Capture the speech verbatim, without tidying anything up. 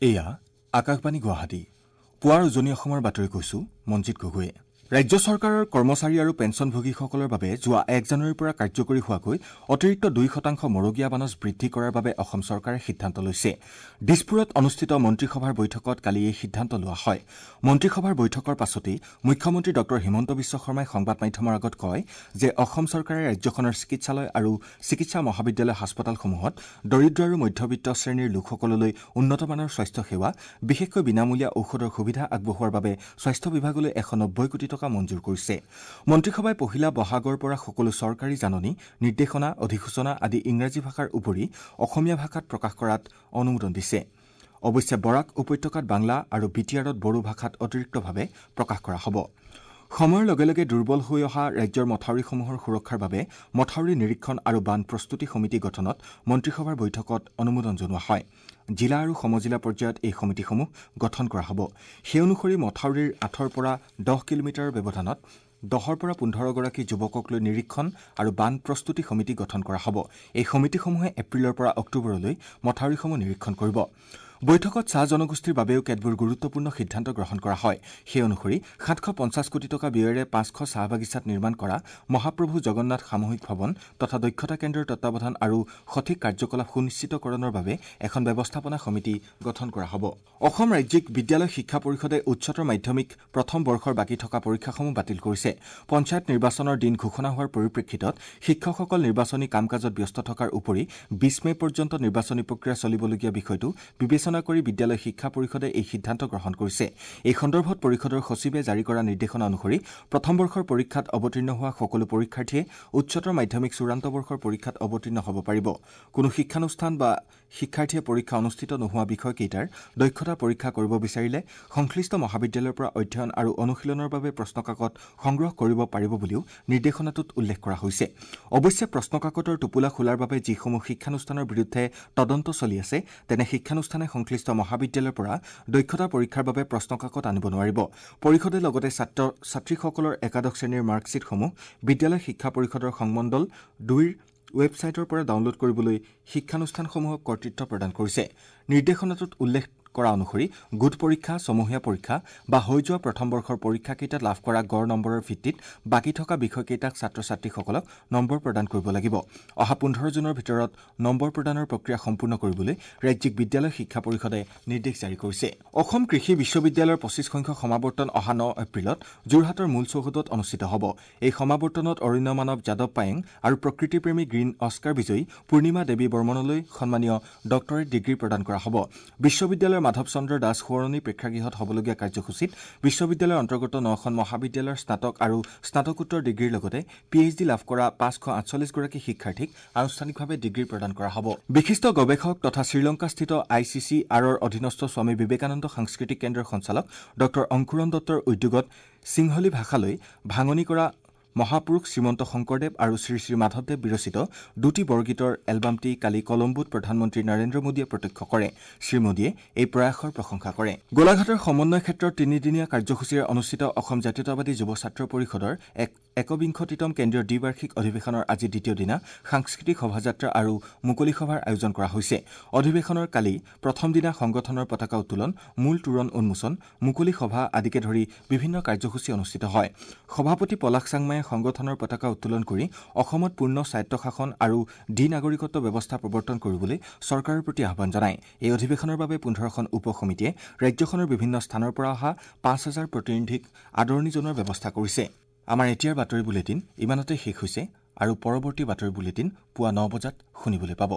এয়া আকাশবাণী গুৱাহাটী। পুৱাৰ উজনি অসমৰ বাতৰি কৈছো মঞ্জিত গগৈয়ে। ৰাজ্য চৰকাৰৰ কৰ্মচাৰী আৰু পেঞ্চনভোগীসকলৰ বাবে যোৱা এক জানুৱাৰীৰ পৰা কাৰ্যকৰী হোৱাকৈ অতিৰিক্ত দুই শতাংশ মৰগীয়া বানচ বৃদ্ধি কৰাৰ বাবে অসম চৰকাৰে সিদ্ধান্ত লৈছে। দিছপুৰত অনুষ্ঠিত মন্ত্ৰীসভাৰ বৈঠকত কালি এই সিদ্ধান্ত লোৱা হয়। মন্ত্ৰীসভাৰ বৈঠকৰ পাছতেই মুখ্যমন্ত্ৰী ডঃ হিমন্ত বিশ্ব শৰ্মাই সংবাদ মাধ্যমৰ আগত কয় যে অসম চৰকাৰে ৰাজ্যখনৰ চিকিৎসালয় আৰু চিকিৎসা মহাবিদ্যালয় হাস্পতালসমূহত দৰিদ্ৰ আৰু মধ্যবিত্ত শ্ৰেণীৰ লোকসকললৈ উন্নতমানৰ স্বাস্থ্য সেৱা, বিশেষকৈ বিনামূলীয়া ঔষধৰ সুবিধা আগবঢ়োৱাৰ বাবে স্বাস্থ্য বিভাগলৈ এশ নব্বৈ কোটি টকা মঞ্জুৰ কৰিছে। মন্ত্ৰীসভাই পহিলা বহাগৰ পৰা সকলো চৰকাৰী জাননী, নিৰ্দেশনা, অধিসূচনা আদি ইংৰাজী ভাষাৰ উপৰি অসমীয়া ভাষাত প্ৰকাশ কৰাত অনুমোদন দিছে। অৱশ্যে বৰাক উপত্যকাত বাংলা আৰু বি টি আৰত বড়ো ভাষাত অতিৰিক্তভাৱে প্ৰকাশ কৰা হ'ব। সময়ৰ লগে লগে দুৰ্বল হৈ অহা ৰাজ্যৰ মথাউৰিসমূহৰ সুৰক্ষাৰ বাবে মথাউৰি নিৰীক্ষণ আৰু বান প্ৰস্তুতি সমিতি গঠনত মন্ত্ৰীসভাৰ বৈঠকত অনুমোদন জনোৱা হয়। জিলা আৰু সমজিলা পৰ্যায়ত এই সমিতিসমূহ গঠন কৰা হ'ব। সেই অনুসৰি মথাউৰিৰ আঠৰ পৰা দহ কিলোমিটাৰৰ ব্যৱধানত দহৰ পৰা পোন্ধৰগৰাকী যুৱকক লৈ নিৰীক্ষণ আৰু বান প্ৰস্তুতি সমিতি গঠন কৰা হ'ব। এই সমিতিসমূহে এপ্ৰিলৰ পৰা অক্টোবৰলৈ মথাউৰিসমূহ নিৰীক্ষণ কৰিব। বৈঠকত চাহ জনগোষ্ঠীৰ বাবেও কেতবোৰ গুৰুত্বপূৰ্ণ সিদ্ধান্ত গ্ৰহণ কৰা হয়। সেই অনুসৰি সাতশ পঞ্চাছ কোটি টকা ব্যয়েৰে পাঁচশ চাহ বাগিচাত নিৰ্মাণ কৰা মহাপ্ৰভু জগন্নাথ সামূহিক ভৱন তথা দক্ষতা কেন্দ্ৰৰ তত্বাৱধান আৰু সঠিক কাৰ্যকলাপ সুনিশ্চিতকৰণৰ বাবে এখন ব্যৱস্থাপনা সমিতি গঠন কৰা হ'ব। অসম ৰাজ্যিক বিদ্যালয় শিক্ষা পৰিষদে উচ্চতৰ মাধ্যমিক প্ৰথম বৰ্ষৰ বাকী থকা পৰীক্ষাসমূহ বাতিল কৰিছে। পঞ্চায়ত নিৰ্বাচনৰ দিন ঘোষণা হোৱাৰ পৰিপ্ৰেক্ষিতত শিক্ষকসকল নিৰ্বাচনী কাম কাজত ব্যস্ত থকাৰ উপৰি বিছ মে পৰ্যন্ত নিৰ্বাচনী প্ৰক্ৰিয়া চলিবলগীয়া বিষয়টো বিবেচনা কৰি বিদ্যালয় শিক্ষা পৰিষদে এই সিদ্ধান্ত গ্ৰহণ কৰিছে। এই সন্দৰ্ভত পৰিষদৰ সচিবে জাৰি কৰা নিৰ্দেশনা অনুসৰি প্ৰথম বৰ্ষৰ পৰীক্ষাত অৱতীৰ্ণ হোৱা সকলো পৰীক্ষাৰ্থীয়ে উচ্চতৰ মাধ্যমিক চূড়ান্ত বৰ্ষৰ পৰীক্ষাত অৱতীৰ্ণ হ'ব পাৰিব। কোনো শিক্ষানুষ্ঠান বা শিক্ষাৰ্থীয়ে পৰীক্ষা অনুষ্ঠিত নোহোৱা বিষয়কেইটাৰ দক্ষতা পৰীক্ষা কৰিব বিচাৰিলে সংশ্লিষ্ট মহাবিদ্যালয়ৰ পৰা অধ্যয়ন আৰু অনুশীলনৰ বাবে প্ৰশ্নকাকত সংগ্ৰহ কৰিব পাৰিব বুলিও নিৰ্দেশনাটোত উল্লেখ কৰা হৈছে। অৱশ্যে প্ৰশ্নকাকতৰ টোপোলা খোলাৰ বাবে যিসমূহ শিক্ষানুষ্ঠানৰ বিৰুদ্ধে তদন্ত চলি আছে তেনে শিক্ষানুষ্ঠানে সংশ্লিষ্ট মহাবিদ্যালয়ৰ পৰা দক্ষতা পৰীক্ষাৰ বাবে প্ৰশ্নকাকত আনিব নোৱাৰিব। পৰিষদে লগতে ছাত্ৰ ছাত্ৰীসকলৰ একাদশ শ্ৰেণীৰ মাৰ্কশ্বিটসমূহ বিদ্যালয় শিক্ষা পৰিষদৰ সংমণ্ডল দুইৰ ৱেবছাইটৰ পৰা ডাউনলোড কৰিবলৈ শিক্ষানুষ্ঠানসমূহক কৰ্তৃত্ব প্ৰদান কৰিছে। নিৰ্দেশনাটোত উল্লেখ কৰা অনুসৰি গোট পৰীক্ষা, ছমহীয়া পৰীক্ষা বা হৈ যোৱা প্ৰথম বৰ্ষৰ পৰীক্ষাকেইটাত লাভ কৰা গড় নম্বৰৰ ভিত্তিত বাকী থকা বিষয়কেইটাক ছাত্ৰ ছাত্ৰীসকলক নম্বৰ প্ৰদান কৰিব লাগিব। অহা পোন্ধৰ জুনৰ ভিতৰত নম্বৰ প্ৰদানৰ প্ৰক্ৰিয়া সম্পূৰ্ণ কৰিবলৈ ৰাজ্যিক বিদ্যালয় শিক্ষা পৰিষদে নিৰ্দেশ জাৰি কৰিছে। অসম কৃষি বিশ্ববিদ্যালয়ৰ পঁচিছ সংখ্যক সমাৱৰ্তন অহা ন এপ্ৰিলত যোৰহাটৰ মূল চৌহদত অনুষ্ঠিত হ'ব। এই সমাৱৰ্তনত অৰণ্য মানৱ যাদৱ পায়েং আৰু প্ৰকৃতিপ্ৰেমী গ্ৰীণ অস্কাৰ বিজয়ী পূৰ্ণিমা দেৱী বৰ্মনলৈ সন্মানীয় ডক্টৰেট ডিগ্ৰী প্ৰদান কৰা হ'ব। বিশ্ববিদ্যালয়ৰ মাধৱ চন্দ্ৰ দাস সোঁৱৰণী প্ৰেক্ষাগৃহত হ'বলগীয়া কাৰ্যসূচীত বিশ্ববিদ্যালয়ৰ অন্তৰ্গত নখন মহাবিদ্যালয়ৰ স্নাতক আৰু স্নাতকোত্তৰ ডিগ্ৰীৰ লগতে পি এইচ ডি লাভ কৰা পাঁচশ আঠচল্লিছগৰাকী শিক্ষাৰ্থীক আনুষ্ঠানিকভাৱে ডিগ্ৰী প্ৰদান কৰা হ'ব। বিশিষ্ট গৱেষক তথা শ্ৰীলংকাস্থিত I C C আৰৰ অধীনস্থ স্বামী বিবেকানন্দ সাংস্কৃতিক কেন্দ্ৰৰ সঞ্চালক ডঃ অংকুৰণ দত্তৰ উদ্যোগত সিংহলী ভাষালৈ ভাঙনি কৰা মহাপুৰুষ শ্ৰীমন্ত শংকৰদেৱ আৰু শ্ৰী শ্ৰী মাধৱদেৱ বিৰচিত দুটি বৰগীতৰ এলবামটি কালি কলম্বোত প্ৰধানমন্ত্ৰী নৰেন্দ্ৰ মোদীয়ে প্ৰত্যক্ষ কৰে। শ্ৰীমোদীয়ে এই প্ৰয়াসৰ প্ৰশংসা কৰে। গোলাঘাটৰ সমন্বয় ক্ষেত্ৰত তিনিদিনীয়া কাৰ্যসূচীৰে অনুষ্ঠিত অসম জাতীয়তাবাদী যুৱ ছাত্ৰ পৰিষদৰ এক একবিংশতিতম কেন্দ্ৰীয় দ্বিবাৰ্ষিক অধিৱেশনৰ আজি দ্বিতীয় দিনা সাংস্কৃতিক শোভাযাত্ৰা আৰু মুকলি সভাৰ আয়োজন কৰা হৈছে। অধিৱেশনৰ কালি প্ৰথম দিনা সংগঠনৰ পতাকা উত্তোলন, মূল তোৰণ উন্মোচন, মুকলি সভা আদিকে ধৰি বিভিন্ন কাৰ্যসূচী অনুষ্ঠিত হয়। সভাপতি পলাশ চাংমায়ে সংগঠনৰ পতাকা উত্তোলন কৰি অসমত পূৰ্ণ স্বায়ত্তশাসন আৰু দ্বি নাগৰিকত্ব ব্যৱস্থা প্ৰৱৰ্তন কৰিবলৈ চৰকাৰৰ প্ৰতি আহ্বান জনায়। এই অধিৱেশনৰ বাবে পোন্ধৰখন উপ সমিতিয়ে ৰাজ্যখনৰ বিভিন্ন স্থানৰ পৰা অহা পাঁচ হাজাৰ প্ৰতিনিধিক আদৰণি জনোৱাৰ ব্যৱস্থা কৰিছে। আমাৰ এতিয়াৰ বাতৰি বুলেটিন ইমানতে শেষ হৈছে আৰু পৰৱৰ্তী বাতৰি বুলেটিন পুৱা ন বজাত শুনিবলৈ পাব।